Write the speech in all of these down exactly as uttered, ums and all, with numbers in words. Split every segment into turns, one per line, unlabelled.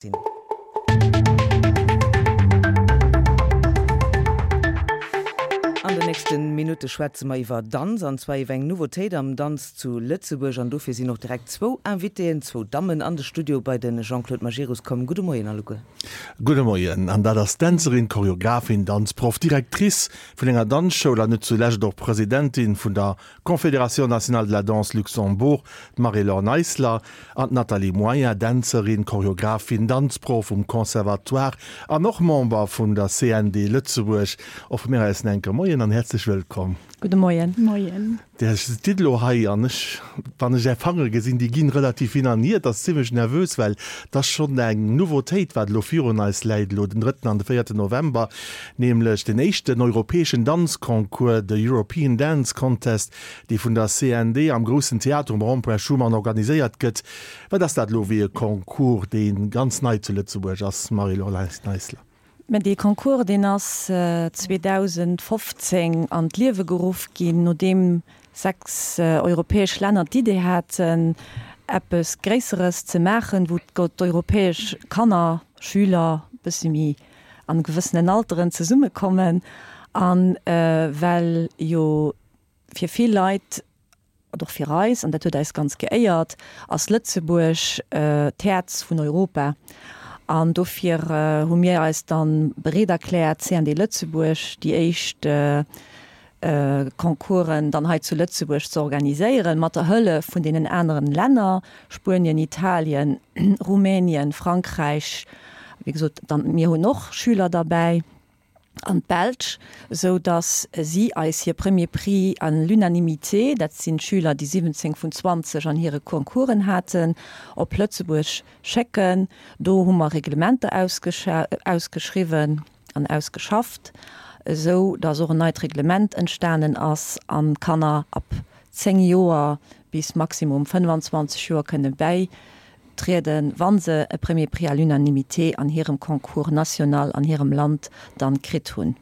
Sinn. An den nächste Minutte schwätze mer iwwer Danz, an zwar iwwer eng Nouveautéit am Danz zu Lëtzebuerg. An dofir sinn och direkt zwou Invitéen, zwou Dammen an de Studio bei de Jean-Claude Majerus komm. Gudde Moien alleguer.
Gudde Moien. An dat ass Dänzerin, Choreographin, Danzproff, Directrice vun enger Danzschoul an net zulescht och Presidentin vun der Confédération nationale de la danse Luxembourg, d'Marie-Laure Neisler, an d'Nathalie Moyen, Dänzerin, Choreographin, Danzproff um Conservatoire an och Member vun der C N D Lëtzebuerg. Och vu mir aus en enke Moien an häerzlech wëllkomm.
Gudde Moien.
Moien.
Dir stitt elo hei an ech, wann ech Är Fangere gesinn, déi ginn relativ hin an hier, et ass zimlech nervös, well et ass schonn eng Nouveautéit, wat elo virun eis läit, elo den drëtten an de véierten November, nämlech den éischten europäeschen Danzconcours, de European Dance Contest, dee vun der C N D am Groussen Theater um Rond-point Schuman organiséiert gëtt. Wat ass dat elo fir e Concours, dee ganz nei zu Lëtzebuerg ass, Marie-Laure Neisler?
Mä dee Concours, deen ass zweedausendfofzéng an d'Liewe geruff ginn, nodeem sechs europäesch Länner d'Idee haten, eppes Gréisseres ze maachen, wou d'europäesch Kanner, Schüler, bësse méi an gewëssenen Alteren zesummekommen. An well jo fir vill Leit, an och fir eis, an dat huet eis ganz geéiert, ass Lëtzebuerg d'Häerz vun Europa. An dofir hu mir eis dann bereet erkläert, C N D Lëtzebuerg, déi éischt Concoursen dann hei zu Lëtzebuerg ze organiséieren, mat der Hëllef vun deenen aneren Länner, Spuenien, Italien, Rumänien, Frankräich, wéi gesot, dann mir hunn och Schüler derbäi, an d'Belsch, esou datt si eis hir Premier Prix à l'unanimité, dat sinn d'Schüler, déi siwwenzéng vun zwanzeg an hire Concoursen haten, op Lëtzebuerg schécken. Do hu mer Reglementer ausgeschriwwen an ausgeschafft, esou datt och en neit Reglement entstanen ass an d'Kanner ab zéng Joer bis maximum fënnefanzwanzeg Joer kënne bäitrieden, wa se e Premier Prix à l'unanimité an hirem Concours national an hirem Land dann kritt hunn.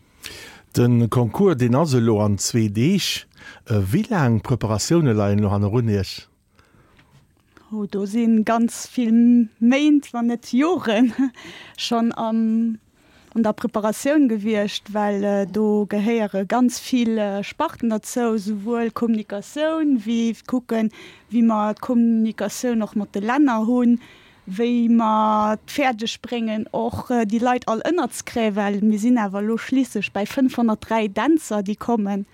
De Concours, deen ass elo an zwee Deeg. Wéi laang Preparatioune leien elo hannerun Iech?
Oh, do si ganz vill Méint, wann net Joren schonn am an der Preparatioun gewiescht, well do gehéiere ganz vill Sparten derzou, souwuel Kommunikatioun wéi kucken, wéi mer d'Kommunikatioun och mat de Länner hunn, wéi mer et fäerdeg bréngen och déi Leit all ënnerzekréien, well mir sinn awer elo schliisslech bäi fënnfhonnertdräi Dänzer, déi kommen,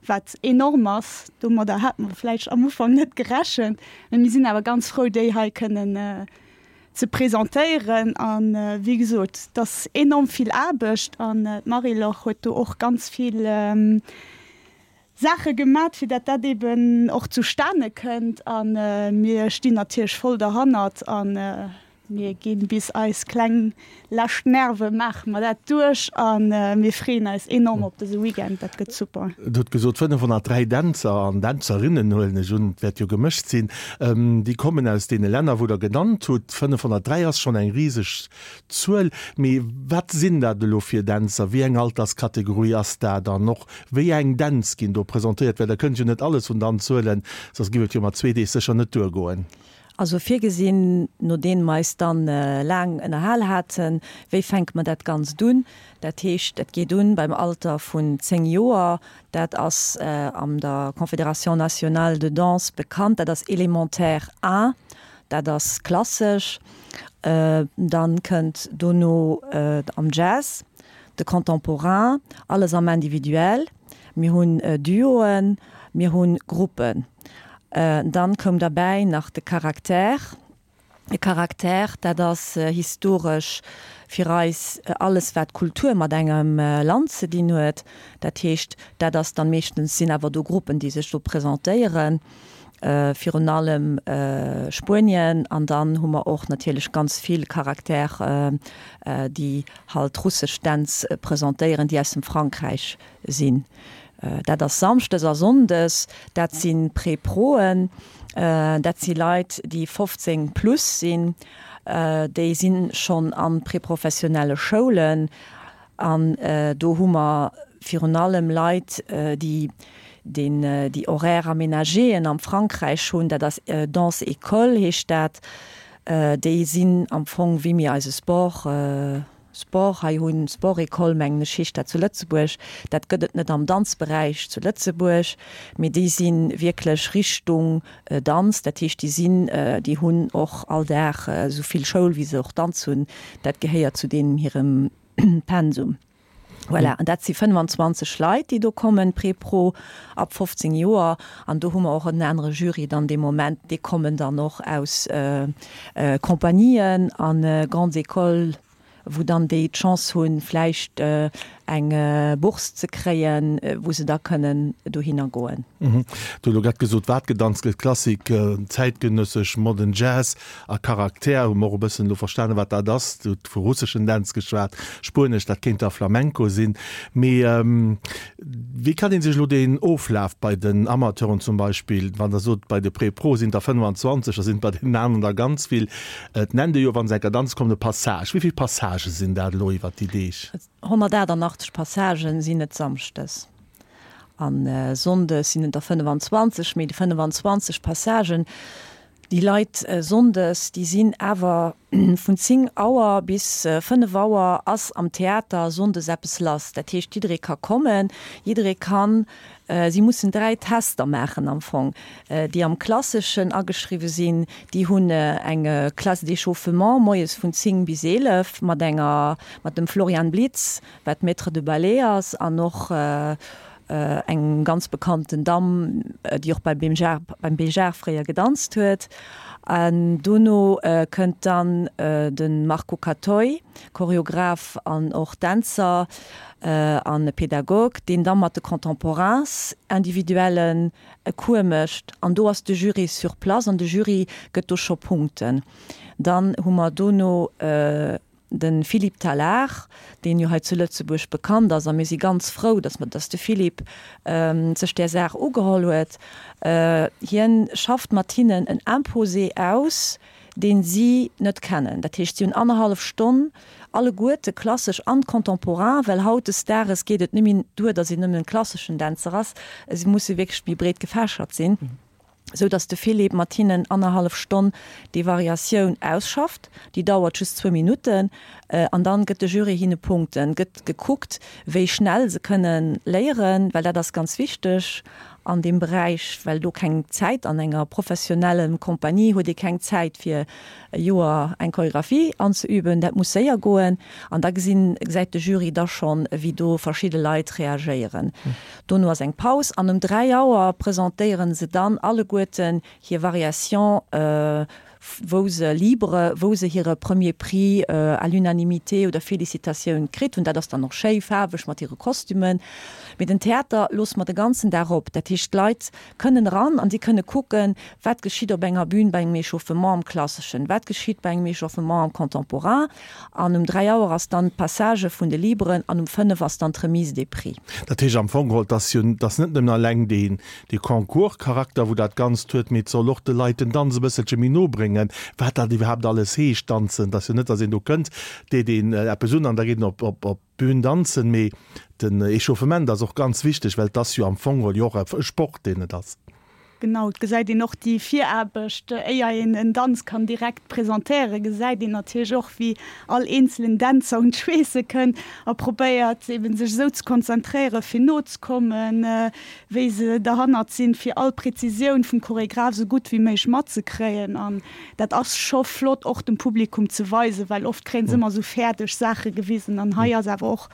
wat enorm ass. Domadder hate mer vläicht am Ufank net gerechent, mä mir sinn awer ganz frou, déi hei kënnen ze presentéieren. An wéi gesot, et ass enorm vill Aarbecht an d'Marie-Laure huet do och ganz vill Saache gemat, fir dat dat eben och zustane kënnt. A mir stinn natierlech voll derhannert a mir ginn bis eis kleng lescht Nerve maache mer dat duerch a mir freeën eis enorm op dëse Weekend, dat gëtt super.
Dir hutt gesot fënnefhonnertdräi Dänzer an Dänzerinnen, huelen ech un, et wäert jo gemëscht sinn, déi kommen aus deene Länner, wou Der genannt hutt. fënnefhonnertdräi ass schonn eng riseg Zuel. Mee wat sinn dat elo fir Dänzer? Wéi eng Alterskategorie ass dat? An och wéi eng Dänz ginn do presentéiert? Well Der kënnt jo net alles vun Danz huelen, soss géif et jo mat zwee Deeg sécher net duergoen.
Also virgesinn, nodeem mer eis dann laang ënnerhal haten, wéi fänke mer dat Ganzt un. Dat heescht, et geet un beim Alter vun zéng Joer, dat ass an der Confédération nationale de danse bekannt, dat ass Élémentaire A, dat ass klassesch. Dann kënnt dono am Jazz, de Contemporain, alles am Individuel. Mir hunn Duoen, mir hunn Gruppen. Dann koum derbäi nach de Caractère. De Caractère, dat ass historesch fir eis alles wat Kultur mat engem Land ze dinn huet. Dat heescht, dat ass dann meeschtens sinn awer do Gruppen, déi sech do presentéieren, virun allem Spuenien. An dann hu mer och natierlech ganz vill Caractère, déi halt russesch Dänz presentéieren, déi aus dem Frankräich sinn. Dat ass samschdes a sonndes, dat si Pré-Proen, dat si Leit, déi fofzéng plus sinn, déi si schonn a préprofessionelle Schoulen an do hu mer virun allem Leit, déi deen déi Horaires aménagéen am Frankräich hunn, dat ass Danse-École heescht dat. Déi sinn am Fong wéi mir eise Sport, Sport hei hunn, Sport-École mengen ech heescht dat zu Lëtzebuerg. Dat gëtt et net am Danzberäich zu Lëtzebuerg, mee déi si wierklech Richtung Danz. Dat heescht déi sinn, déi hunn och all Dag esou vill Schoul wéi se och Danz hunn. Dat gehéiert zu deenen hirem Pensum. Voilà, an dat si fënnwanzwanzeg Leit, déi do kommen, Pré-Pro, ab fofzéng Joer. An do hu mer och en anere Jury dann dee Moment. Déi kommen dann och aus Compagnien a Grandes Écoles, wou dann déi d'Chance hunn, vläicht eng Bourse ze kréien, wou se da kënnen dohinner goen.
Du hues elo grad gesot, wat gedanzt gëtt, Klassik, zäitgenëssesch, Modern Jazz a Charakter. Hu mer och e bëssen elo verstanen, wat dat ass. Du hutt vu russeschen Dänz geschwat, spuenesch, dat kéint da Flamenco sinn. Mee wéi kann ee sech elo deen Oflaf bei den Amateuren zum Beispill, wann Der sot, bei de Pré-Pro sinn der fënnwanzwanzeg, da sinn et bei deenen aneren der ganz vill, et nennt ee jo, wa se enker danze kommen, e Passage. Wéi vill Passagë sinn dat elo iwwert déi Deeg?
honnertachtundachtzeg Passagen sinn et samschdes an sonndes sinn et der fënnwanzwanzeg, mee déi fënnwanzwanzeg Passagen, déi Leit sonndes, déi sinn awer vun zéng Auer bis fënnef Auer ass am Theater sonndes eppes lass. Dat heescht, jidderee ka kommen, jidderee kann, si mussen dräi Tester maachen am Fong, déi am Klasseschen ageschriwwe sinn, déi hunn eng Classe d'échauffement moies vun zéng bis eelef mat enger, mat dem Florian Blitz, wat Maître de ballet ass an och eng ganz bekannten Damm, déi och beim beim Béjart fréier gedanzt huet. An dono kënnt dann de Marco Cattoi, Choreograph an och Dänzer an Pädagog, deen da mat de Contemporains individuellen e Cours mécht. An do ass de Jury sur place an de Jury gëtt do scho Punkten. Dann hu mer dono de Philippe Tallard, deen jo hei zu Lëtzebuerg bekannt ass, a mir si ganz frou, datt mer, datt de Philippe sech där Saach ugeholl huet. Hien schafft mat hinnen en Imposé aus, deen si net kennen. Dat heescht, si hunn annerhallef Stonn alleguerte, klassesch an contemporain, well hautdesdaages geet et net méi duer, datt een nëmmen klasseschen Dänzer ass, si musse wierklech méi breet gefächert sinn. sou dass de Philippe mat hinnen annerhallef Stonn déi Variatioun ausschafft, déi dauert just zwou Minutten, an dann gëtt de Jury hinne Punkten, gëtt gekuckt wéi schnell se kënnen léieren, well dat ass ganz wichteg an deem Beräich, well do keng Zäit, an enger professionellen Compagnie huet ee keng Zäit fir e Joer eng Choreographie anzeüben, dat muss séier goen, an da gesinn, gesäit de Jury da schonn wéi do verschidde Leit reagéieren. Dono ass eng Paus an um dräi Auer presentéieren se dann alleguerten hir Variation, wou se libre, wou se hire Premier Prix à l'unanimité oder Félicitatioun kritt hunn. Dat ass dann och schéi faarweg mat hire Kostümen. Mee den Theater loosse mer de ganzen Dag op. Dat heescht, d'Leit kënnen eran an si kënne kucken, wat geschitt op enger Bühn bei engem Échauffement am Klasseschen, wat geschitt bei engem Échauffement am Contemporain. An um dräi Auer ass dann d'Passage vun de Liberen an um fënnef ass dann d'Remise des Prix.
Dat heescht am Fong geholl, dass jo, dass net nëmmen alleng deen, dee Concours-Charakter, wou dat Ganzt huet, mee et soll och de Leit den Danz e bësselche méi no bréngen, wat dat iwwerhaapt alles heescht, danzen. Et ass jo net, dass een do kënnt, deet een eppes un an da geet een op, op, op d'Bün danzen, mee den Échauffement ass och ganz wichteg, well et ass jo am Fong geholl jo och e Sport, deen et ass.
Genau, et gesäit een och déi Viraarbecht, éier een en Danz kann direkt presentéieren, gesäit een natierlech och, wéi all eenzelen Dänzer un d'Schweesse kënnt a probéiert eben sech esou ze konzentréieren, fir nozekommen, wéi se derhannert sinn, fir all Präzisioun vum Choregraph esou gutt wéi méiglech matzekréien. An dat ass scho flott och dem Publikum ze weisen, well oft kréien se ëmmer esou fäerdeg Saache gewisen an hei ass awer och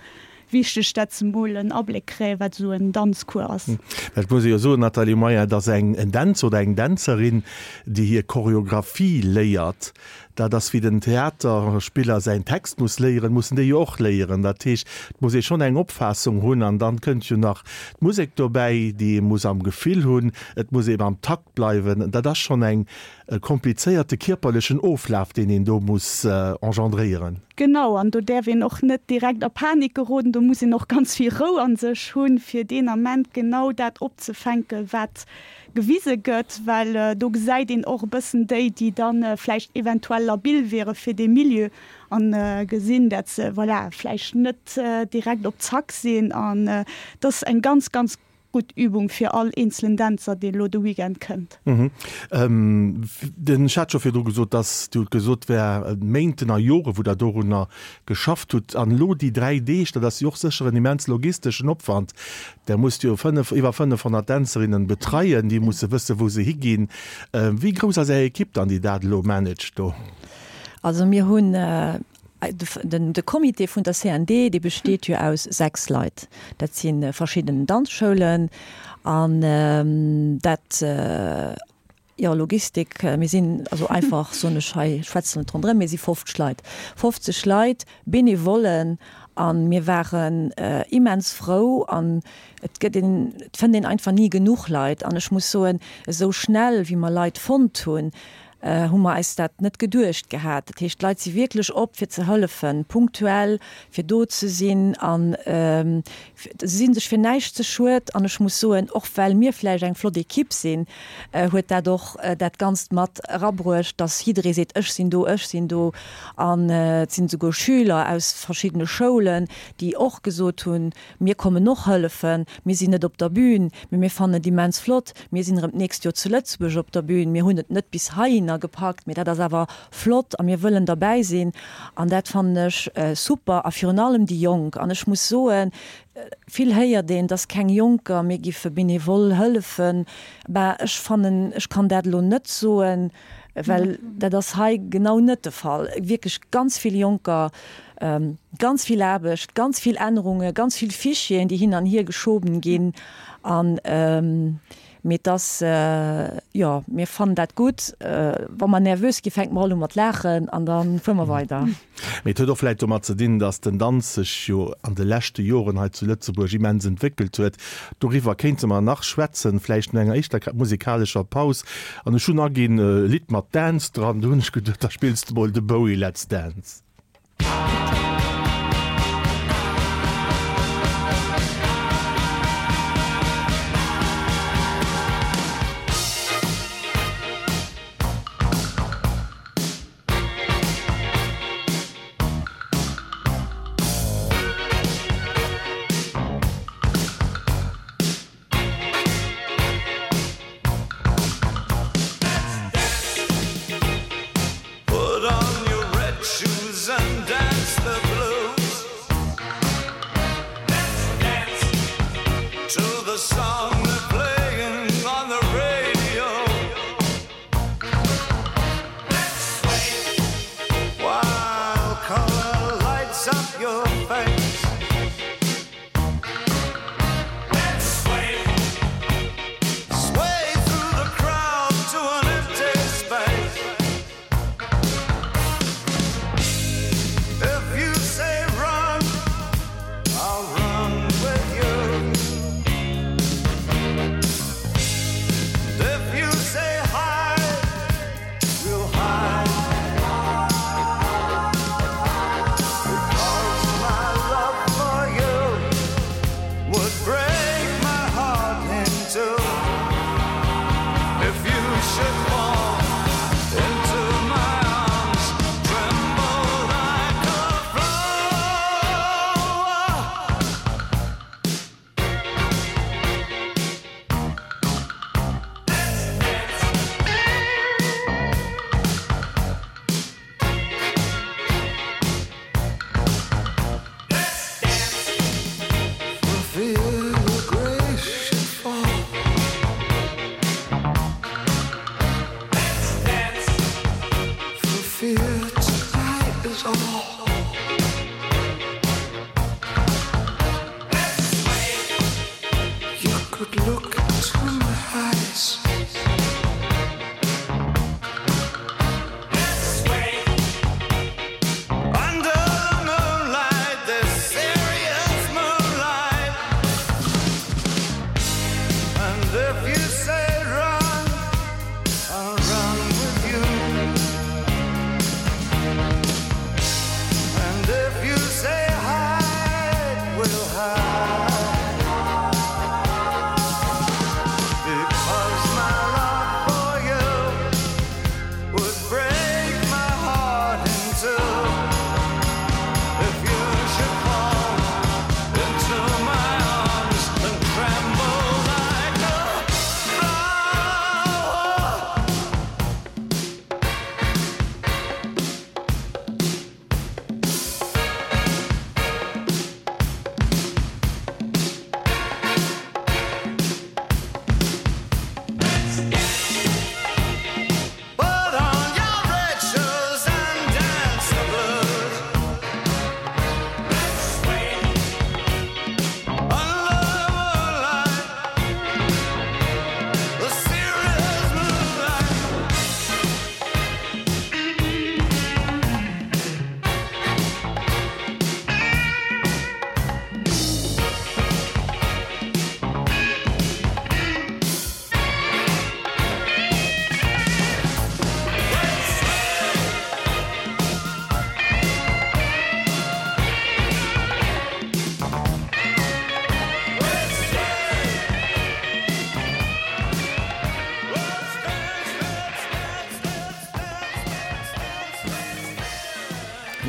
Wichteg, dat se mol en Abléck kréien, wat esou en Danzcours ass.
Dat muss ee jo soen, Nathalie Meyer, dass eng en Dänzer oder eng Dänzerin, déi hir Choreographie léiert, dat ass wéi den Theaterspiller säin Text muss léieren, mussen déi jo och léieren. Dat heescht, et muss ee schonn eng Opfaassung hunn an dann kënnt jo nach d'Musek dobäi, déi ee muss am Gefill hunn, et muss ee am Takt bleiwen. Dat ass schonn eng e komplizéierte kierperlechen Oflaf, deen een do muss engendréieren.
Genau, an do däerf een och net direkt a Panik geroden, do muss een och ganz vill Rou a sech hunn, fir deen Ament genau dat opzefänken, wat gewise gëtt, well do gesäit een och e bëssen déi, déi da vläicht eventuell labil wiere fir dee Milieu a gesinn, dat se, voilà, vläicht net direkt op Zack sinn. An et ass eng ganz, ganz gutt Übung fir all eenzelen Dänzer, dee lo de Weekend kënnt.
Den, ech hat scho virdru gesot, dass, Dir hutt gesot, et wär Méinten a Jore wou Der dorunner geschafft hutt. An elo déi dräi Deeg, dat ass jo och sécher en immens logisteschen Opwand. Der musst jo fënnef, iwwer fënnefhonnert Dänzerinnen betreien, déi musse wësse wou se higinn. Wéi grouss ass Är Ekipp dann, déi dat elo managt do?
Also mir hunn den de Comité vun der C N D, dee besteet jo aus sechs Leit. Dat si verschidden Danzschoulen an dat, jo, Logistik, mir sinn also einfach, soen ech hei, ech schwätzen net ronderëm, mir si fofzeg Leit, fofzeg Leit, Benevollen, a mir waren immens frou an et gëtt een, et fënnt een einfach ni genuch Leit an ech muss soen, esou schnell wéi mer Leit fonnt hunn, hu mer eis dat net geduecht gehat. Dat heescht, d'Leit si wierklech op fir ze hëllefen, punktuell fir do ze sinn an se si sech fir näischt ze schued. An ech muss soen, och well mir vläicht eng flott Ekipp sinn, huet dat och dat Ganzt mat erabruecht, datt jidderee seet, ech sinn do, ech sinn do. An et sinn esouguer Schüler aus verschiddene Schoulen, déi och gesot hunn, mir kommen och hëllefen, mir sinn net op der Bühn, mee mir fannen et immens flott, mir sinn erëm d'nächst Joer zu Lëtzebuerg op der Bühn, mir hunn et net bis heihinner gepackt, mee dat ass awer flott a mir wëllen derbäi sinn an dat fannen ech super a virun allem déi Jonk. An ech muss soen, vill héiert een, dass keng Jonker méi giffe benevol hëllefen. Bah, ech fannen, ech kann dat elo net soen, well dat ass hei genau net de Fall. Wierklech ganz vill Jonker, ganz vill Aarbecht, ganz vill Ännerungen, ganz vill Fichieren, déi hin an hier geschoben ginn an mee et ass, jo, mir fannen dat gutt. Wa mer nervös ginn, fänke mer all u mat laachen an da fuere mer weider.
Mee et huet och vläicht domat ze dinn, datt den Danz sech jo an de leschte Joren hei zu Lëtzebuerg immens entwéckelt huet. Doriwwer kéinte mer nach schwätzen, vläicht no enger éischter musikalescher Paus. An ech hunn aginn e Lidd mat Dance dran, do hunn ech geduet, da spills de mol de Bowie Let's Dance.
Because my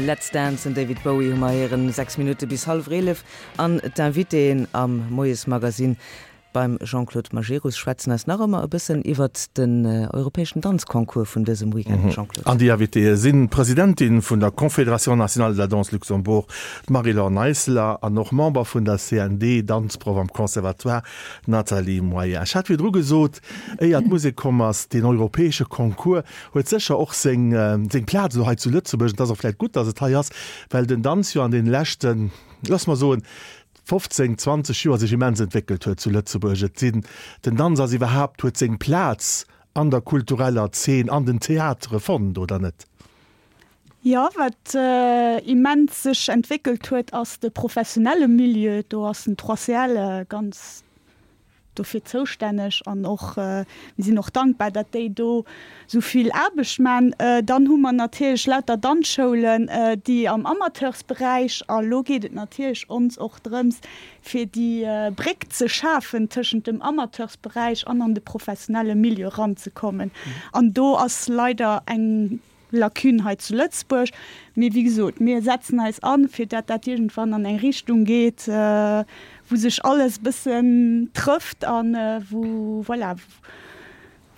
Let's Dance, den David Bowie hu mer héieren, sechs Minutte bis hallwer eelef. An d'Invitéen am Moiesmagazin beim Jean-Claude Majerus schwätzen eis nach ëmmer e bëssen iwwert den europäeschen Danzconcours vun dësem Weekend. Jean-Claude.
An déi Invitéë sinn d'Presidentin vun der Confédération nationale de la danse Luxembourg, d'Marie-Laure Neisler, an och Member vun der C N D, Danzproff am Conservatoire, d'Nathalie Moyen. Ech hat virdru gesot, éier d'Musek komm ass, deen europäesche Concours huet sécher och seng seng Plaz elo hei zu Lëtzebuerg. Et ass och vläicht gutt, datt et hei ass, well den Danz jo an deene leschten, loosse mer soen, fofzéng, zwanzeg Joer sech immens entwéckelt huet zu Lëtzebuerg. Et sinn, den Danz ass iwwerhaapt, huet seng Plaz an der kultureller Zeen, an den Theatere fonnt, oder net?
Jo, wat immens sech entwéckelt huet, ass de professionelle Milieu. Do ass den Trois C L ganz dofir zoustänneg an och mir sinn och dankbar, datt déi do esou vill Aarbecht man. Dann hu mer natierlech lauter Danzschoulen, déi am Amateursberäich, a lo geet et natierlech ons och drëms, fir déi Bréck ze schafen tëschent dem Amateursberäich an an de professionelle Milieu eranzekommen. An do ass leider eng Lacune hei zu Lëtzebuerg. Mee wéi gesot, mir setzen eis an, fir dat dat iergendwann an eng Richtung geet, wou sech alles e bëssen trëfft a wou, voilà,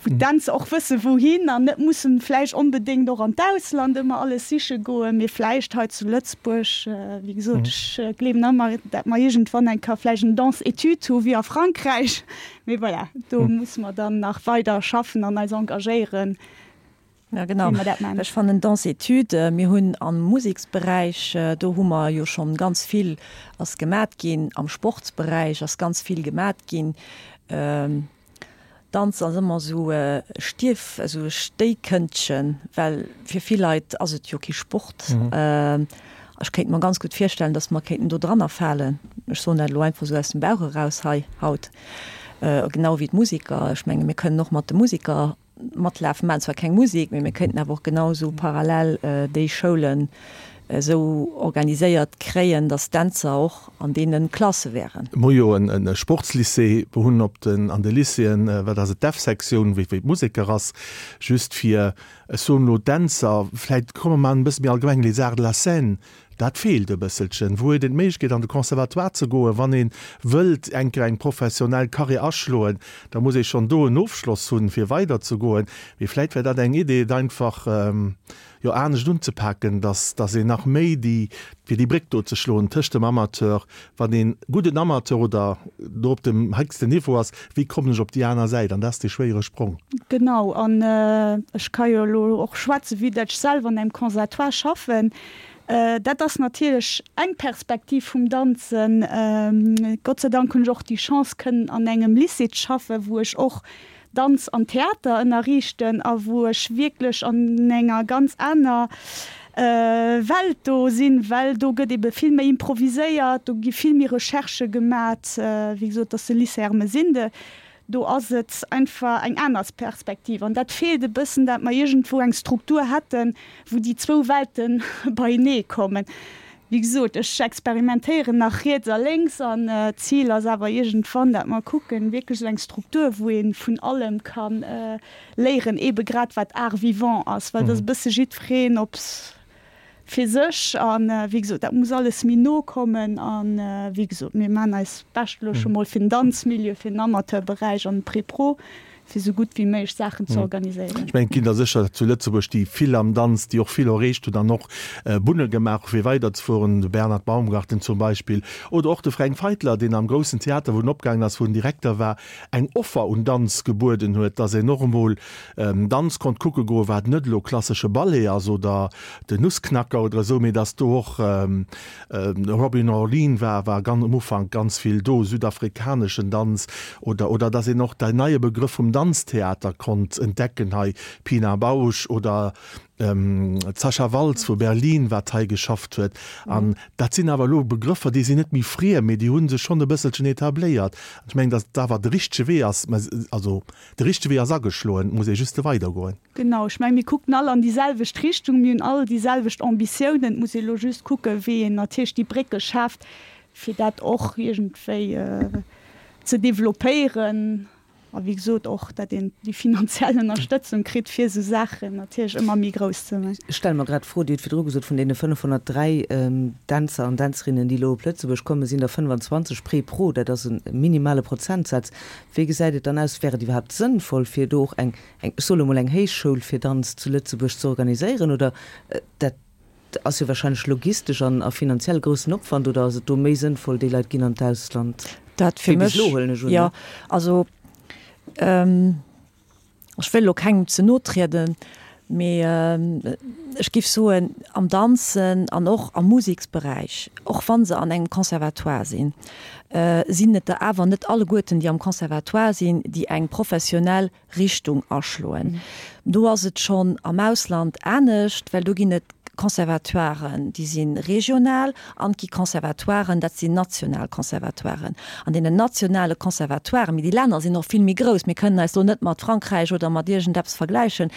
wou d'Dänzer och wësse wouhin an net mussen vläicht onbedéngt och an d'Ausland ëmmer alles siche goen, mee vläicht hei zu Lëtzebuerg. Wéi gesot, ech gleewen ëmmer, dat mer iergendwann eng Kéier vläicht en Danse-études hu wéi a Frankräich. Mee voilà, do musse mer dann nach weider schaffen an eis engagéieren.
Ja genau. Ech fannen Danse-études, mir hunn am Museksberäich, do hu mer jo schonn ganz vill ass gemat ginn, am Sportsberäich ass ganz vill gemat ginn. Danz ass ëmmer esou e Stierf, esou e Stéikëndchen, well fir vill Leit ass et jo kee Sport. Ech kéint mer ganz gutt virstellen, datt mer kéinten do dranner falen. Ech soen dat elo einfach esou aus dem Bauch eraus hei haut. Genau wéi d'Museker. Ech menge mir kënnen och mat de Museker matlafen, maachen zwar keng Musek, mee mir kéinten awer och genau esou parallel déi Schoulen esou organiséiert kréien, datt d'Dänzer och an deene Klasse wären.
Mer hu jo e Sportslycée, mer hunn op den, an de Lycéeën, wat ass et, d'F-Sektioun, wéi d'Museker ass, just fir, ech soen elo Dänzer, vläicht komme mer en bësse méi allgemeng, les arts de la scène, dat feelt e bësselchen. Wou huet een d'Méiglechkeet an de Conservatoire ze goen, wann ee wëllt eng Kéier eng professionell Carrière aschloen, da muss ee schonn do en Ofschloss hunn, fir weiderzegoen. Mee vläicht wär dat eng Idee, et einfach, jo, anescht unzepaken, dass, dass een nach méi déi, fir déi Bréck do ze schloen tëscht dem Amateur, wann een gudden Amateur oder do op dem héchsten Niveau ass, wéi kommen ech op déi aner Säit? An dat ass dee schwéiere Sprong.
Genau, an ech ka jo elo och schwätzen, vue dat ech selwer an engem Conservatoire schaffen. Dat ass natierlech eng Perspektiv vum Danzen. Gott sei Dank hunn ech och déi Chance kënnen an engem Lycée ze schaffen, wou ech och Danz an Theater ënnerriichten a wou ech wierklech an enger ganz aner Welt do sinn, well do gëtt ebe vill méi improviséiert, do gi vill méi Recherchë gemat. Wéi gesot, et ass de Lycée Ermesinde, do ass et einfach eng aner Perspektiv an dat feelt e bëssen, dat mer iergendwou eng Struktur hätten, wou déi zwou Welte beienee kommen. Wéi gesot, ech experimentéieren nach riets a lénks an d'Zil ass awer iergendwann, dat mer kucken, wierklech esou eng Struktur, wou ee vun allem ka léieren, eebe grad wat Art vivant ass, well et ass e bësse jiddwereen op fir sech an, wéi gesot, dat muss alles méi no kommen an, wéi gesot, mir maachen eis Bescht elo scho mol fir den Danzmilieu, fir den Amateurberäich an de Pré-Pro, fir esou gutt wéi méiglech Saachen ze organiséieren.
Ech mengen, et ginn der sécher zu Lëtzebuerg, déi vill am Danz, déi och vill erreecht hunn an och Bunne gemaach hu fir weiderzefueren, de Bernhard Baumgarten zum Beispill oder och de Fränk Feitler, deen am Groussen Theater, wou en opgaangen ass, wou en Direkter war, eng Offer un Danz gebueden huet, dass een och emol Danz konnt kucke goen, wat net elo klassesche Ballet ass oder den Nussknacker oder esou, mee dass do och Robyn Orlin war, war ganz um Ufank ganz vill do, südafrikaneschen Danz oder oder dass een och dei neie Begrëff vum Danztheater konnt entdecken hei, Pina Bausch oder d'Sasha Waltz vu Berlin, wat hei geschafft huet. An dat sinn awer elo Begrëffer, déi sinn net méi friem, mee déi hu sech schonn e bësselchen etabléiert. An ech mengen, dass et awer de richtege Wee ass, mä also de richtege Wee ass ageschloen, et muss ee juste weidergoen.
Genau, ech mengen, mir kucken all an déi selwecht Richtung, mir hunn all déi selwecht Ambitiounen. Et muss ee elo just kucken, wéi een natierlech déi Brécke schaaft, fir dat och iergendwéi ze developpéieren. A wéi gesot och, datt een déi finanziell Ënnerstëtzung kritt, fir esou Saachen natierlech ëmmer méi grouss ze maachen.
Ech stelle mer grad d'Fro, Dir hutt virdru gesot, vun deene fënnefhonnertdräi Dänzer an Dänzerinnen, déi elo op Lëtzebuerg kommen, sinn der fënnfanzwanzeg Pré-Pro. Dat ass e minimale Prozentsaz. Wéi gesäit et dann aus? Wär et iwwerhaapt sënnvoll, fir do och eng, eng, ech soe lo mol, eng Héichschoul fir Danz zu Lëtzebuerg ze organiséieren? Oder dat ass jo wahrscheinlech logistesch an a finanziell groussen Opwand. Oder ass et do méi sënnvoll, déi Leit ginn an d'Ausland?
Dat fir
Wéi bis
mech,
elo, huelen ech un,
jo.
ne?
Also ech wëll elo kengem ze no trieden, mee ech géif soen, am Danzen an och am Museksberäich, och wa se an engem Conservatoire sinn, sinn et der awer net alleguerten, déi am Conservatoire sinn, déi eng professionell Richtung aschloen. Do ass et schonn am Ausland anescht, well do ginn et Conservatoiren, déi si regional, an et gi Conservatoiren, dat sinn national Conservatoiren. An deenen nationale Conservatoiren, mee déi Länner sinn och vill méi grouss, mir kënnen eis do net mat Frankräich oder mat iergendeppes vergläichen,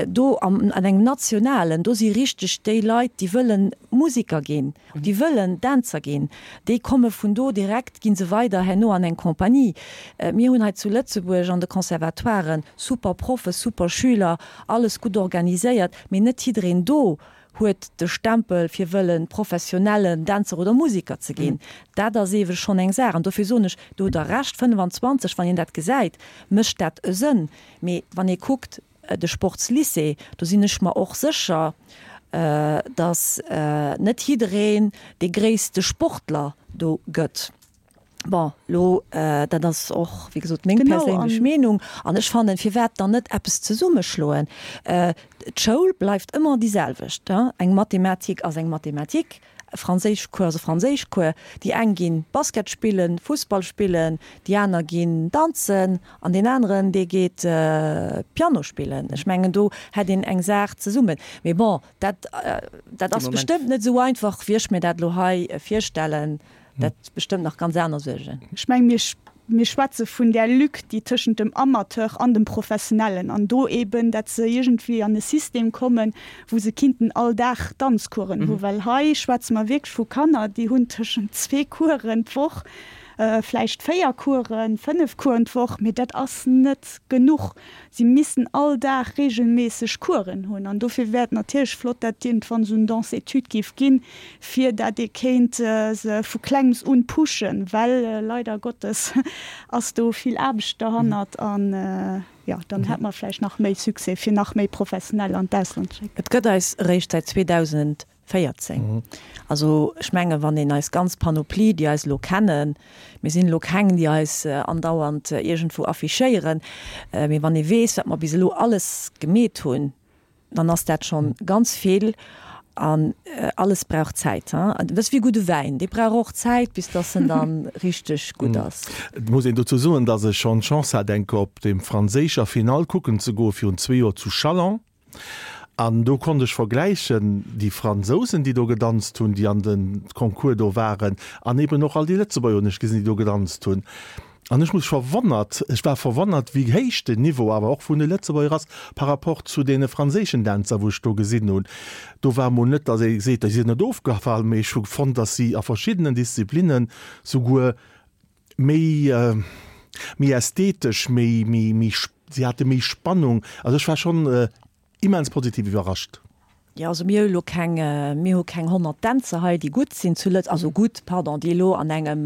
do am, an engem nationalen, do si richteg déi Leit, déi wëllen Musiker ginn, déi wëllen Dänzer ginn, déi komme vun do direkt, gi se weider herno an eng Compagnie. Mir hunn hei zu Lëtzebuerg an de Conservatoiren super Proffe, super Schüler, alles gutt organiséiert, mee net jiddereen do huet de Stempel fir wëllen professionellen Dänzer oder Musiker ze ginn. Dat ass ewe schonn eng Saach. An dofir soen ech, do hutt Der Recht, fënnfanzwanzeg, wann een dat gesäit, mécht dat e Sënn. Mee wann ee kuckt, de Sportslycée, do sinn ech mer och sécher, datt net jiddereen dee gréisste Sportler do gëtt. Bon, lo, dat ass och, wéi gesot, meng perséinlech Meenung. An ech fannen, firwat dann net eppes zesummeschloen? D'Schoul bleift ëmmer déi selwecht. Eng Mathematik ass eng Mathematik, e Franséischcours ass e Franséischcours. Déi eng ginn Basket spillen, Fussball spillen, déi aner ginn danzen an deen aneren, dee geet Piano spillen. Ech mengen, do hätt een eng Saach zesummen. Mee bon, dat, dat ass bestëmmt net esou einfach, wéi ech mir dat elo hei virstellen. Dat bestëmmt nach ganz aner Suergen.
Ech mengen, mir, mir schwätze vun där Lück, déi tëschent dem Amateur an dem Professionellen, an do eben, dat se iergendwéi an e System kommen, wou se kinnten all Dag Danzcoursen hu. Well hei schwätze mer wierklech vu Kanner, déi hunn tëschent zwee Coursen d'Woch, vläicht véier Coursen, fënnef Coursen d'Woch, mee dat ass net genuch. Si missten all Dag reegelméisseg Coursen hunn. An dofir wär et natierlech flott, dat iergendwann esou en Danse-études géif ginn, fir dat ee kéint se vu Klengems un pushen, well leider Gottes ass do vill Aarbecht derhannert. An jo, dann hätt mer vläicht nach méi Succès, fir nach méi Professionell an d'Ausland ze schécken.
Et gëtt eis eréischt säit zweedausendvéierzéng. Also ech mengen, wann een eis ganz Panoplie, déi eis elo kennen, mir sinn elo keng, déi eis andauernd iergendwou affichéieren, mee wann ee weess, wat mer bis elo alles gemeet hunn, dann ass dat schonn ganz vill. An alles brauch Zäit. Dat ass wéi gudde Wäin, dee brauch och Zäit, bis dass en dann richteg gutt ass.
Et muss een dozou soen, dass ech schonn d'Chance hat, eng Kéier op dem franséischer Finall kucken ze goen, virun zwee Joer zu Châlons. An do konnt ech vergläichen, déi Fransousen, déi do gedanzt hunn, déi an de Concours do waren, an eben och all déi Lëtzebuerger hunn ech gesinn, déi do gedanzt hunn. An ech muss verwonnert, ech war verwonnert, wéi héich den Niveau awer och vun de Lëtzebuerger ass par rapport zu deene franséischen Dänzer, wou ech do gesinn hunn. Do war emol net, datt ee seet, déi sinn net ofgefall, mee ech hu fonnt, datt si a verschiddenen Disziplinnen souguer méi, méi ästhetesch, méi, méi, méi, si hate méi Spannung. Also ech war schonn immens positiv iwwerrascht.
Jo, also mir hu lo keng, mir hu keng honnert Dänzer hei, déi gutt sinn zu Lëtz-, also gutt, pardon, déi elo an engem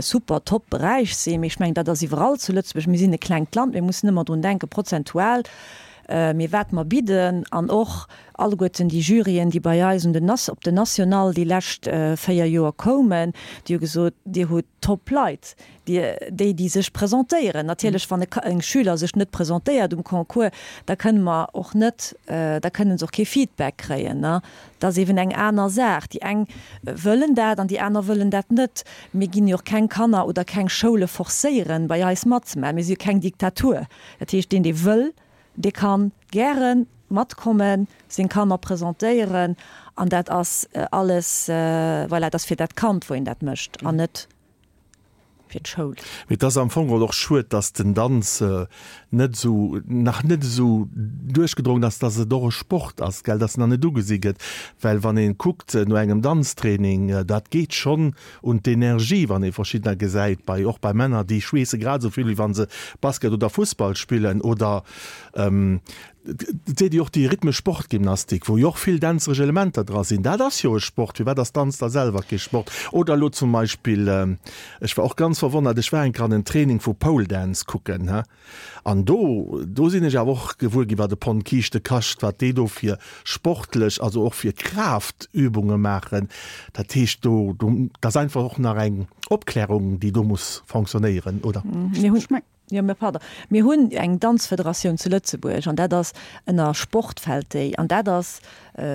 super top Beräich sinn, mee ech mengen, dat ass iwwerall zu Lëtzebuerg. Mir sinn e klengt Land, mir mussen ëmmer drun denken, prozentual, mee wat mer bidden an och alleguerten déi Juryen, déi bei eis un den Nas-, op den National déi lescht véier Joer koumen, déi hu gesot, Dir hutt top Leit. Déi, déi sech presentéieren. Natierlech, wann e Schüler sech net presentéiert um Concours, da kënne mer och net, da kënne se och kee Feedback kréien. Dat ass eeben eng aner Saach. Déi eng wëllen dat an déi aner wëllen dat net. Mir ginn jo och keng Kanner oder keng Schoule forcéieren, bei eis matzemaachen. Mir si jo keng Diktatur. Dat heescht, deen, dee wëll, dee ka gäre matkommen, seng Kanner presentéieren. An dat ass alles, voilà, dat ass fir dat Kand, wou een dat mécht an net. fir d'Schoul.
Mee et ass am Fong geholl och schued, dass den Danz net esou, nach net esou duerchgedrongen ass, dass et och e Sport ass, gell, dass en nach net ugesi gëtt. Well wann ee kuckt no engem Danztraining, dat geet schonn un d'Energie, wann ee verschiddener gesäit, bei, och bei Männer, déi schweesse grad esou vill, wéi wa se Basket oder Fussball spillen oder Et seet jo och déi rhythmesch Sportgymnastik, wou jo och vill dänzeresch Elementer dra sinn, dat ass jo e Sport. Firwat ass Danz da selwer kee Sport? Oder elo zum Beispill, ech war och ganz verwonnert, ech war eng Kéier an en Training vu Pole Dance kucken, he, an do, do sinn ech awer och gewuer ginn, wat e Pond Kiischte kascht, wat déi do fir sportlech, also och fir Kraaftübunge maachen. Dat heescht, do, do, dat ass einfach och nach eng Opklärung, déi do muss fonctionnéieren, oder?
Mir hunn. Jo, mä pardon, mir hunn eng Danzfederatioun zu Lëtzebuerg an dat ass ënner Sport fält déi an dat ass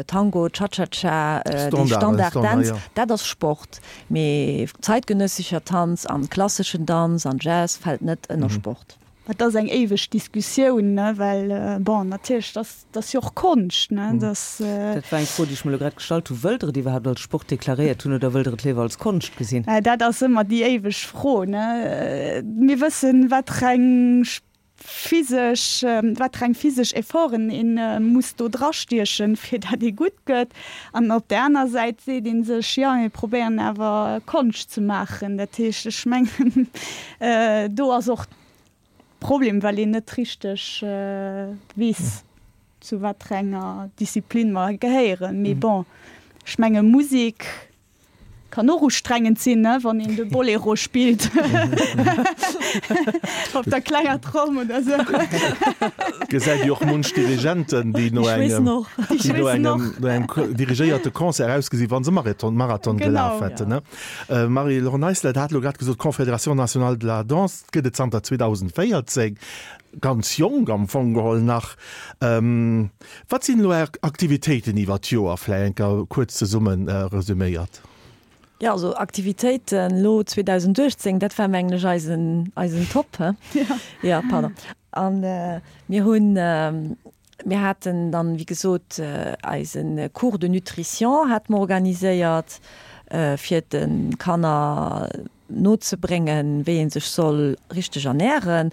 Tango, Cha-cha-cha, déi Standarddänz, dat ass Sport. Mee zeitgenössischer Tanz an klasseschen Danz an Jazz fält net ënner Sport.
Dat ass eng éiweg Diskussioun, ne, well, bon, natierlech, dat ass jo och Konscht, ne,
dat. Dat war eng Fro, déi ech mer elo grad gestallt hunn. Wëllt Der et iwwerhaapt als Sport deklaréiert hunn oder wëllt Der et léiwer als Konscht gesinn?
Dat ass ëmmer déi éiweg Fro, ne. Mir wëssen, wat fir eng physesch, wat fir eng physesch Efforten ee muss do drastiechen, fir datt ee gutt gëtt. An op där aner Säit seet ee sech, jo, mir probéieren awer Konscht ze maachen. Dat heescht, ech mengen, do ass och Problem, well een net richteg weess, zu wat fir enger Disziplin mer gehéieren. Mee bon, ech menge Musek kann och ustrengend sinn, ne, wann een de Bolero spillt op der klenger Tromm oder sou.
Gesäit jo och munch Dirigenten, déi no engem, déi no engem, no engem dirigéierte Concert ausgesinn, wa se Marathon, Marathon gelaf hätten, ne? Marie-Laure Neisler, Der hat elo grad gesot, d'Confédération nationale de la danse gëtt et zanter zweedausendvéierzéng, ganz jonk am Fong geholl nach. Wat sinn elo Är Aktivitéiten iwwer d'Joer, vläicht eng Kéier kuerz zesumme resüméiert?
Jo, also Aktivitéiten elo zweedausenduechtzéng, dat war mengen ech eisen, eisen Top, he? Jo, pardon. A mir hunn, mir haten dann, wéi gesot, eise Cours de nutrition hate mer organiséiert, fir de Kanner nozebréngen, wéi ee sech soll richteg ernären,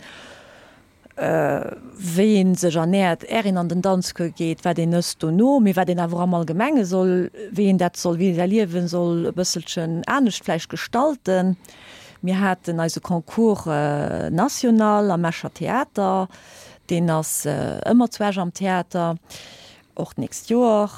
wéi ee sech ernäert, är een an den Danzcours geet, wat een ësst dono, mee wat een awer och am Allgemenge soll, wéi een dat soll, wéi ee säi Liewe soll e bësselchen anescht vläicht gestalten. Mir haten eise Concours national am Escher Theater, deen ass ëmmer zu Esch am Theater. Och d'nächst Joer.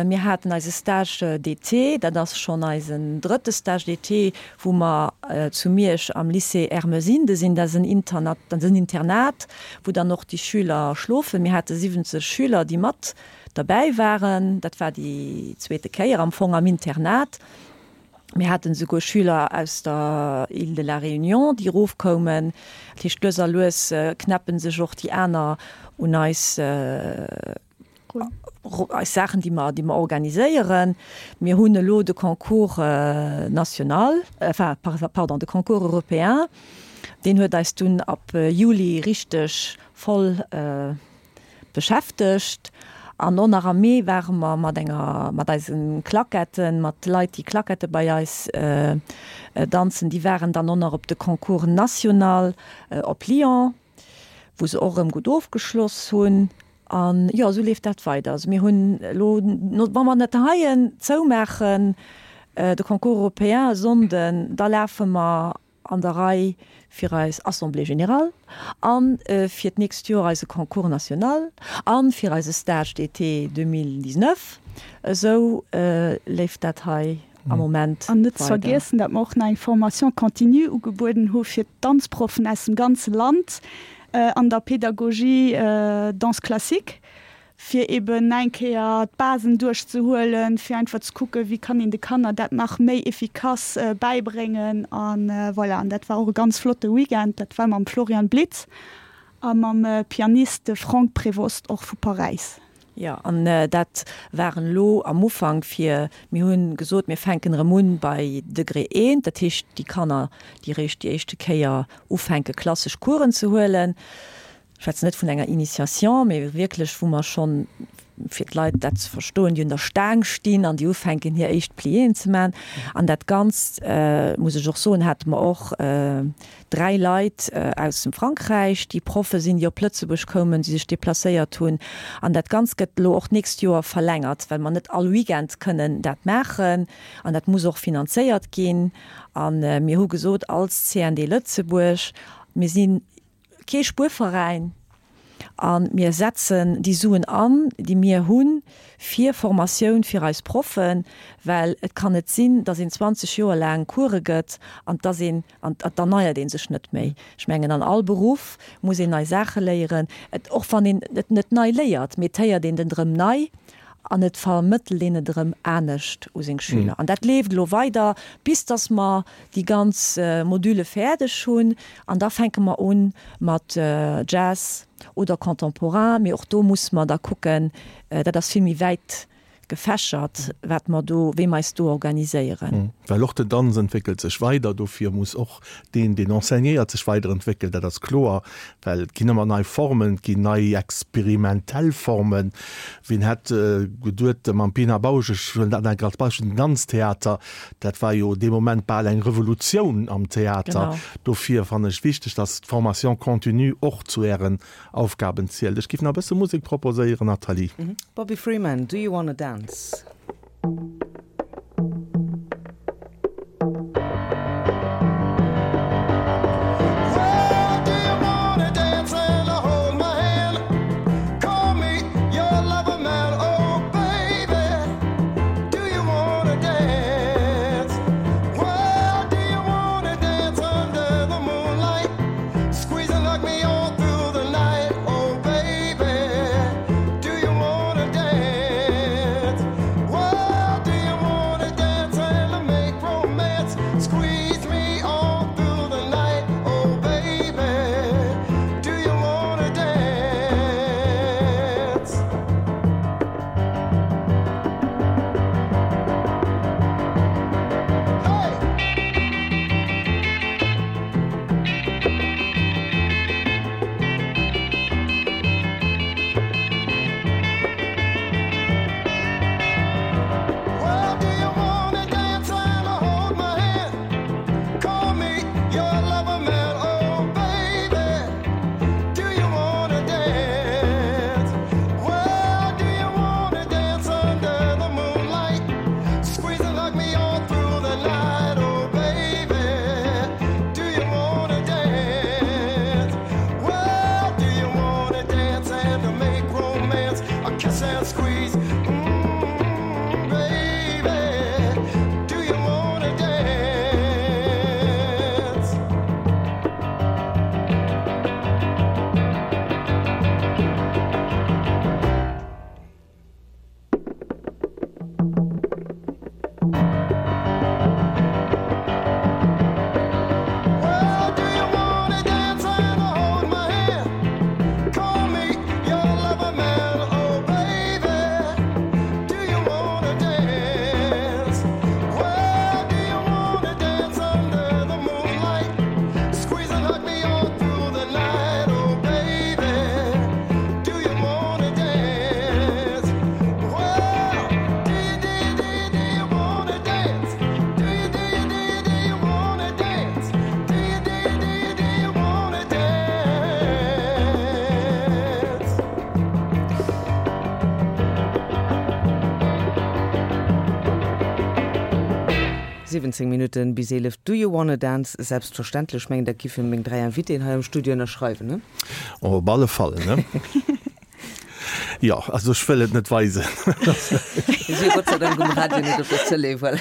Mir haten eise Stage d'été, dat ass schonn eisen drëtte Stage d'été, wou mer zu Miersch am Lycée Ermesinde sinn. Dat ass en Internat, dat ass en Internat, wou dann och déi Schüler schlofen. Mir hate siwwenzeg Schüler, déi mat derbäi waren. Dat war déi zweete Kéier am Fong am Internat. Mir haten esouguer Schüler aus der Île de la Réunion, déi erofkoumen. Dat heescht, lues a lues knäppe sech och déi aner un eis, eis Saachen, déi mer, déi mer organiséieren. Mir hunn elo de Concours national, enfin, pardon, de Concours européen, deen huet eis dunn ab Juli richteg voll beschäftegt. An och nach am Mee ware mer mat enger, mat eise Klaketten, mat Leit, déi Klackette bei eis danzen, déi waren dann och nach op de Concours national op Lyon, wou se och erëm gutt ofgeschloss hunn. An jo, esou leeft dat weider. Also mir hunn elo, wa mer net heien zoumaachen, de Concours européen e Sonnden, da lafe mer an der Rei fir eis Assemblée générale a fir d'nächst Joer eise Concours national a fir eise Stage d'été deux mille dix-neuf. Esou leeft dat hei am Moment
An net ze weider. vergiessen, datt mer och nach eng Formation continue ugebueden hu fir d'Danzproffen aus dem ganze Land an der Pédagogie Danse classique, fir eben nach eng Kéier d'Basen duerchzehuelen, fir einfach ze kucken, wéi kann een de Kanner dat nach méi efficace bäibréngen. A voilà, an dat war och e ganz flotte Weekend. Dat war mam Florian Blitz a mam Pianist Franck Prévost och vu Paräis.
Jo, an dat waren elo am Ufank fir, mir hu gesot, mir fänken erëm un bei Degré eent, dat heescht déi Kanner, déi eréischt déi éischte Kéier ufänke klassesch Coursen ze huelen. Ech schwätzen net vun enger Initiation, mee wierklech wou mer schonn fir d'Leit dat ze verstoen, déi un der Staang stinn an déi ufänken hir éischt Pliéen ze man. An dat Ganzt, muss ech och soen, hate mer och dräi Leit aus dem Frankräich, déi Proffe sinn, déi op Lëtzebuerg koumen, déi sech deplacéiert hunn. An dat Ganzt gëtt elo och d'nächst Joer verlängert, well mer net all Weekend kënnen dat maachen an dat muss och finanzéiert ginn. A mir hu gesot als C N D Lëtzebuerg, mir si kee Spuerveräin a mir setzen déi Suen an, déi mir hunn, fir Formatioun fir eis Proffen, well et kann net sinn, datt een zwanzeg Joer laang Course gëtt an datt een, an et erneiert ee sech net méi. Ech mengen, an all Beruff muss een nei Saache léieren, et, och wann een et net nei léiert, mee et héiert een den erëm nei an et vermëttelt een et erëm anescht u seng Schüler. An dat leeft elo weider, bis datt mer déi ganz Module fäerdeg hunn. An da fänke mer u mat Jazz oder Contemporain. Mee och do musse mer da kucken, dat ass vill méi wäit gefächert, wat mer do, wéi mer eis do organiséieren.
Well och den Danz entwéckelt sech weider, dofir muss och deen, deen enseignéiert, sech weiderentwéckelen, dat ass kloer, well et ginn ëmmer nei Formen, et ginn nei experimentell Formen. Wien hätt geduet, mam Pina Bausch, ech huelen dat nach eng Kéier als Beispill, den Danztheater, dat war jo dee Moment bal eng Revolutioun am Theater. Dofir fannen ech wichteg, dass d'Formation continue och zu Ären Aufgaben zielt. Ech géif nach e bësse Musek proposéieren, Nathalie.
Bobby Freeman, Do You Wanna Dance? Siwwenzéng Minutten bis eelef, Do you wanna dance? Selbstverständlech, mengen dat giffen meng dräi Invitéen hei am Studio ënnerschreiwen, ne?
Op alle Fall, ne? Jo, also ech wëll et net weisen.
Mir si jo Gott sei Dank um Radio, net op der Tëlee, voilà.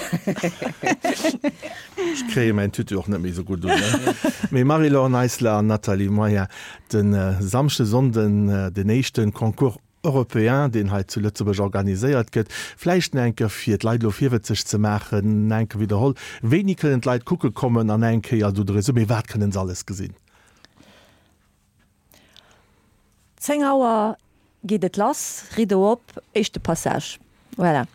Ech kréie mäin Tutu och net méi esou gutt un, ne? Mee Marie-Laure Neisler an Nathalie Moyen, de Samschde, Sonnden den éischte Concours européen, deen hei zu Lëtzebuerg organiséiert gëtt. Vläicht nach eng Kéier, fir d'Leit elo virwëtzeg ze maachen, nach eng Kéier widderholl, Wéini kënnen d'Leit kucke kommen an eng Kéier esou de Resumé, wat kënnen se alles gesinn?
Zéng Auer geet et lass, Rideau op, éischte Passage. Voilà.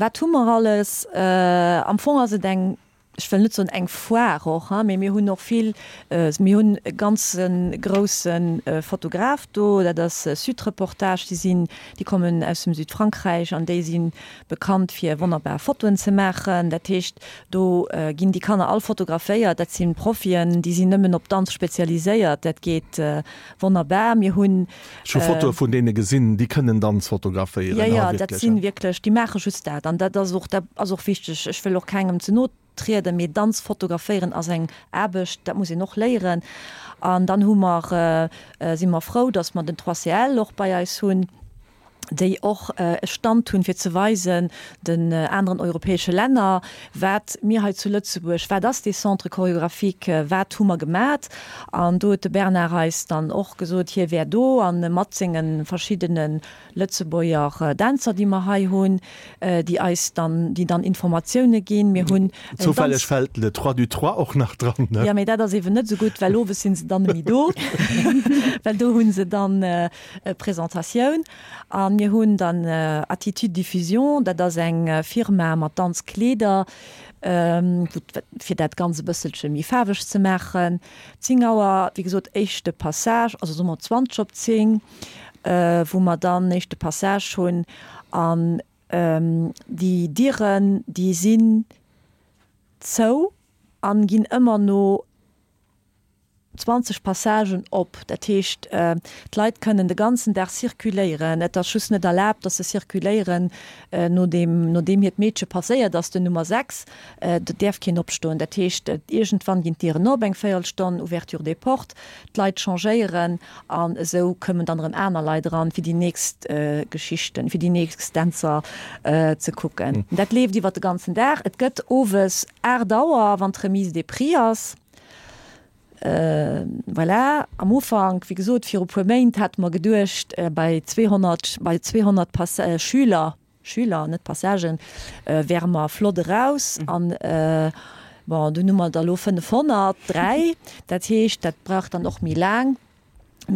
Wat hu mer alles? Am Fong ass et eng ech wëll net soen eng Foire och, hein, mee mir hunn och vill, mir hunn e ganze grousse Fotograf do, dat ass Sud-Reportage, déi sinn, déi kommen aus dem Südfrankräich an déi si bekannt fir wonnerbar Fotoen ze maachen. Dat heescht, do ginn déi Kanner all fotograféiert, dat si Profien, déi sinn nëmmen op Danz spezialiséiert, dat geet wonnerbar. Mir hunn.
Ech hu Fotoe vun deene gesinn, déi kënnen Danz fotograféieren,
Jo, jo, dat si wierklech, déi maache just dat an dat ass och, dat ass och wichteg. Ech wëll och kengem ze no trieden, mee Danz fotograféieren ass eng Aarbecht, dat muss een och léieren. An dann hu mer, si mer frou, datt mer den trois CL och bei eis hunn, déi och e Stand hunn, fir ze weisen den aneren europäesche Länner, wat mir hei zu Lëtzebuerg, wat ass dee Centre chorégraphique, wat hu mer gemat. An do huet de Bernard eis dann och gesot, hie wär do a mat senge verschiddene Lëtzebuerger Dänzer, déi mer hei hunn, déi eis dann, déi dann Informatioune ginn. Mir hunn
en Danz. Zoufälleg fält Le Trois du Trois och nach dran, ne?
Jo, mee dat ass eeben net esou gutt, well owes si se dann net méi do, well do hu se dann e Presentatioun. A mir hunn dann Attitude Diffusion, dat ass eng Firma mat Danzkleeder, fir dat Ganzt e bësselche méi faarweg ze maachen. Zéng Auer, wéi gesot, éischte Passage, also soe mer zwanzeg op zéng, wou mer dann éischte Passage hunn. An déi Dieren, déi sinn zou an ginn ëmmer no zwanzeg Passagen op. Dat heescht, d'Leit kënnen de ganzen Dag circuléieren. Et ass just net erlaabt, dass se circuléieren, nodeem, nodeem hiert Meedche passéiert ass, den Nummer sechs. Do däerf keen opstoen. Dat heescht, iergendwann ginn d'Dieren op, eng Véierelstonn, Ouverture des portes, d'Leit changéieren an esou kommen dann erëm aner Leit eran, fir déi nächst Geschichten, fir déi nächst Dänzer ze kucken. Dat leeft iwwer de ganzen Dag. Et gëtt owes aacht Auer, wann d'Remise des prix ass. Voilà, am Ufank, wéi gesot, viru puer Méint hate mer geduecht, bei zweehonnert, bei zweehonnert Pass Schüler, Schüler, net Passagen, wäre mer flott eraus. An, bon, dunn hu mer der elo fënnefhonnertdräi. Dat heescht, dat brauch dann och méi laang.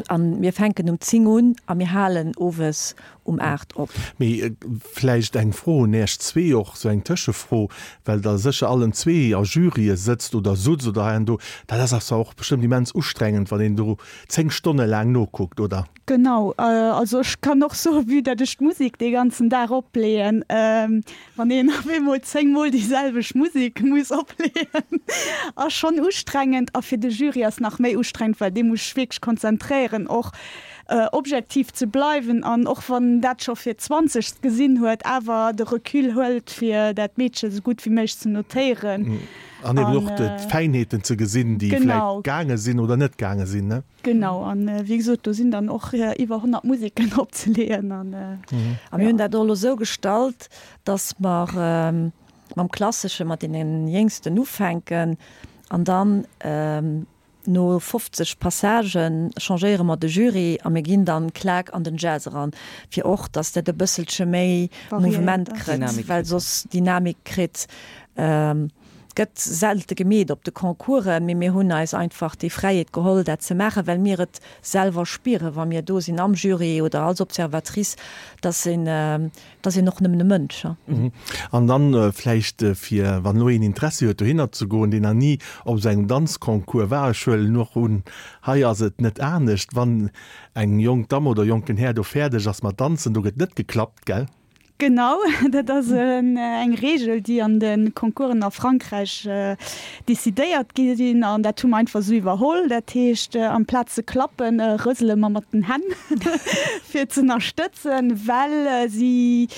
An mir fänken um zéng un a mir halen owes um aacht op.
Mee vläicht eng Fro un Äech zwee och, sou eng Tëschefro, well Der sécher allen zwee a Jurye sëtzt oder sutzt oder hei an do. Dat ass awer och bestëmmt immens ustrengend, wann een do zéng Stonne laang nokuckt, oder?
Genau, also ech kann och soen, vue dat ech d'Musek dee ganzen Dag opleeën, wann een op eemol zéng mol déi selwecht Musek muss opleeën, ass schonn ustrengend. A fir de Jury ass nach méi ustrengend, well dee muss sech wierklech konzentréieren och objektiv ze bleiwen an och wann en dat scho fir d'zwanzegst gesinn huet, awer de Recul huelt fir dat Meedche sou gutt wéi méiglech ze notéieren.
An eben och d'Fäinheeten ze gesinn, déi vläicht gaange sinn oder net gaange sinn, ne?
Genau, an wéi gesot, do sinn dann och iwwer honnert Museken opzeleeën.
An mir hunn dat och elo esou gestallt, dass mer mam Klassesche mat deene Jéngsten ufänken an dann no fofzeg Passagen changéiere mer de Jury a mir ginn dann klak an den Jazz eran, fir och, dass dat e bësselche méi Mouvement kritt, well soss Dynamik kritt. Gëtt selte gemeet op de Concoursen, mee mir hunn eis einfach déi Fräiheet geholl, dat ze maachen, well mir et selwer spieren, wa mir do sinn am Jury oder als Observatrice, dass een, dass een och nëmmen e Mënsch.
An dann vläicht fir, wann elo een Interessi huet dohinner ze goen, deen nach ni op esou engem Danzconcours war, ech huelen och un, hei ass et net anescht, wann eng jonk Damm oder jonken Här do fäerdeg ass mat danzen, do gëtt net geklappt, gell?
Genau, dat ass eng Reegel, déi an de Concoursen a Frankräich decidéiert gi sinn an dat hu mer einfach esou iwwerholl. Dat heescht, amplaz ze klappen, rësele mer mat den Hänn, fir z'ënnerstëtzen, well si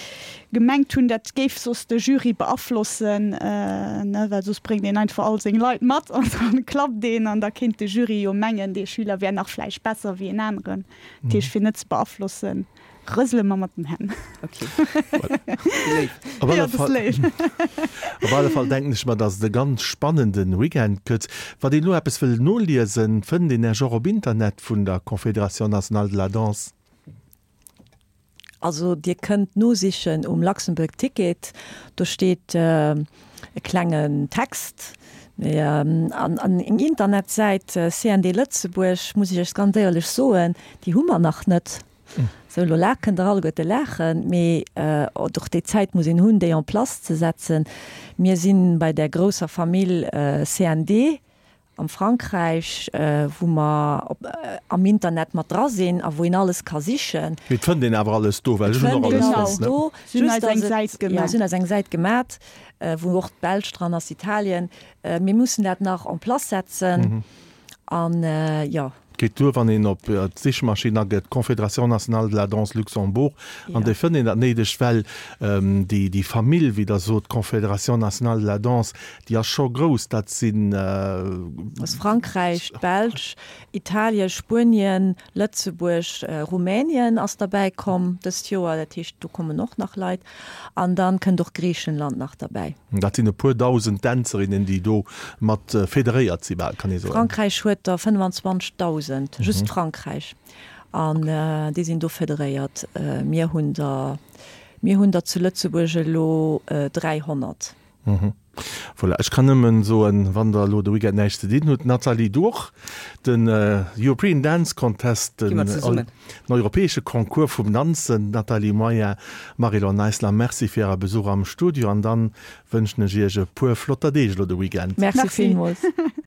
gemengt hunn, dat géif soss de Jury beaflossen, well soss bréngt een einfach all seng Leit mat an da klappt een an da kéint de Jury jo mengen, dee Schüler wär nach vläicht besser wéi en aneren. Dat heescht, fir net ze beaflossen. Rësele mer mat den Hänn.
Okay.
Léif. Op alle Fall, op alle Fall denken ech mer, dass et e ganz spannenden Weekend gëtt. Wann een elo eppes wëll noliesen, fënnt een Iech och op Internet vun der Confédération Nationale de la Danse?
Also Dir kënnt nosichen um Luxembourg Ticket, do steet e klengen Text. Mee an eng Internetsäit C N D Lëtzebuerg, muss ech Iech ganz éierlech soen, déi hu mer nach net. Sou, elo la kënnt der alleguerte laachen, mee och déi Zäit muss een hunn, déi en place ze setzen. Mir si bei där grousser Famill C N D am Frankräich, wou mer op am Internet mat dra sinn a wou een alles ka sichen.
Mee et fënnt een awer alles do, well
Et
ech hunn
fënnt
och
een
alles
alles
fonnt, ne?
do,
Si hunn
just
eis eng
dass et,
Säit
jo,
gemaat.
si hunn eis eng Säit gemaat, wou och d'Belsch dran ass, Italien. Mir mussen dat nach en place setzen an, jo.
Geet duer, wann een op d'Sichmaschinn agëtt Confédération nationale de la danse Luxembourg an
Ja.
da fënnt een dat Néidegt, well déi, déi Famill, wéi Der sot, Confédération nationale de la danse, déi ass scho grouss, dat sinn.
Ass Frankräich, d'Belsch, Italien, Spuenien, Lëtzebuerg, Rumänien ass derbäi komm dëst Joer, dat heescht do kommen och nach Leit an dann kënnt och Griichenland nach derbäi.
Dat sinn e puer dausend Dänzerinnen, déi do mat federéiert si bal, kann ee soen.
Frankräich huet der fënnefanzwanzegdausend, just Frankräich, an déi sinn do federéiert. Mir hunn der, mir hunn der zu Lëtzebuerg elo dräihonnert.
Voilà, ech kann nëmmen soen, wann der elo de Weekend näischt ze dinn hutt, Nathalie, du och, den European Dance Contest,
Gi
den
mer zesummen.
europäesche Concours vum Danzen. Nathalie Moyen, Marie-Laure Neisler, merci fir Äre Besuch am Studio an dann wënschen ech Iech e puer flotter Deeg elo de Weekend.
Merci
Merci.
villmools.